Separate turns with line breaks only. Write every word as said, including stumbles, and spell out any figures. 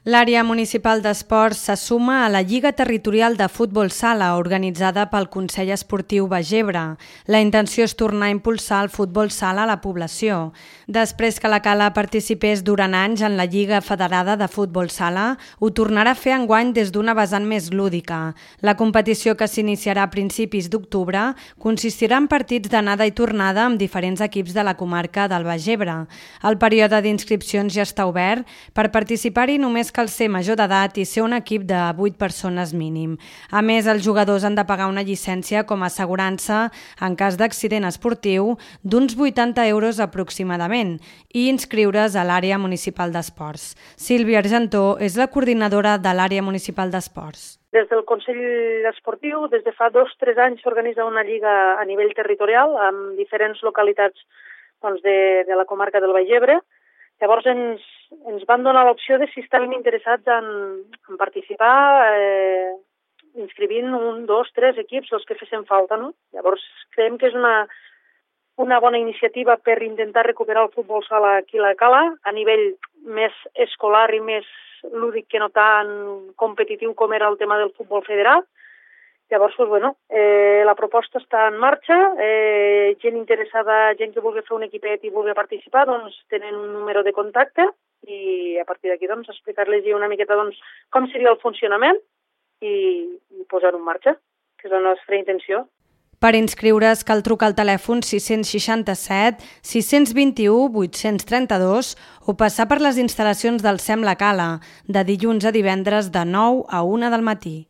L'àrea municipal d'esports se suma a la Lliga Territorial de Futbol Sala organitzada pel Consell Esportiu Bagebre. La intenció és tornar a impulsar el futbol sala a la població. Després que la Cala participés durant anys en la Lliga Federada de Futbol Sala, ho tornarà a fer enguany des d'una vessant més lúdica. La competició, que s'iniciarà a principis d'octubre, consistirà en partits d'anada i tornada amb diferents equips de la comarca del Bagebre. El període d'inscripcions ja està obert. Per participar-hi només cal ser major d'edat i ser un equip de vuit persones mínim. A més, els jugadors han de pagar una llicència com a assegurança en cas d'accident esportiu d'uns vuitanta euros aproximadament i inscriure's a l'àrea municipal d'esports. Sílvia Argentó és la coordinadora de l'àrea municipal d'esports.
Des del Consell Esportiu, des de fa dos o tres anys s'organitza una lliga a nivell territorial amb diferents localitats doncs, de, de la comarca del Bagebre. Llavors ens, ens van donar l'opció de si estaven interessats en, en participar, eh, inscrivint un, dos, tres equips, els que fessin falta, no? Llavors creiem que és una, una bona iniciativa per intentar recuperar el futbol sala aquí a la Cala, a nivell més escolar i més lúdic que no tan competitiu com era el tema del futbol federat. Llavors, doncs, bueno, eh, la proposta està en marxa, eh, gent interessada, gent que vulgui fer un equipet i vulgui participar, doncs tenen un número de contacte i a partir d'aquí doncs, explicar-los una miqueta doncs, com seria el funcionament i, i posar-ho en marxa, que és la nostra intenció.
Per inscriure's cal trucar al telèfon sis-cents seixanta-set sis-cents vint-i-u vuit-cents trenta-dos o passar per les instal·lacions del SEM La Cala, de dilluns a divendres de nou a una del matí.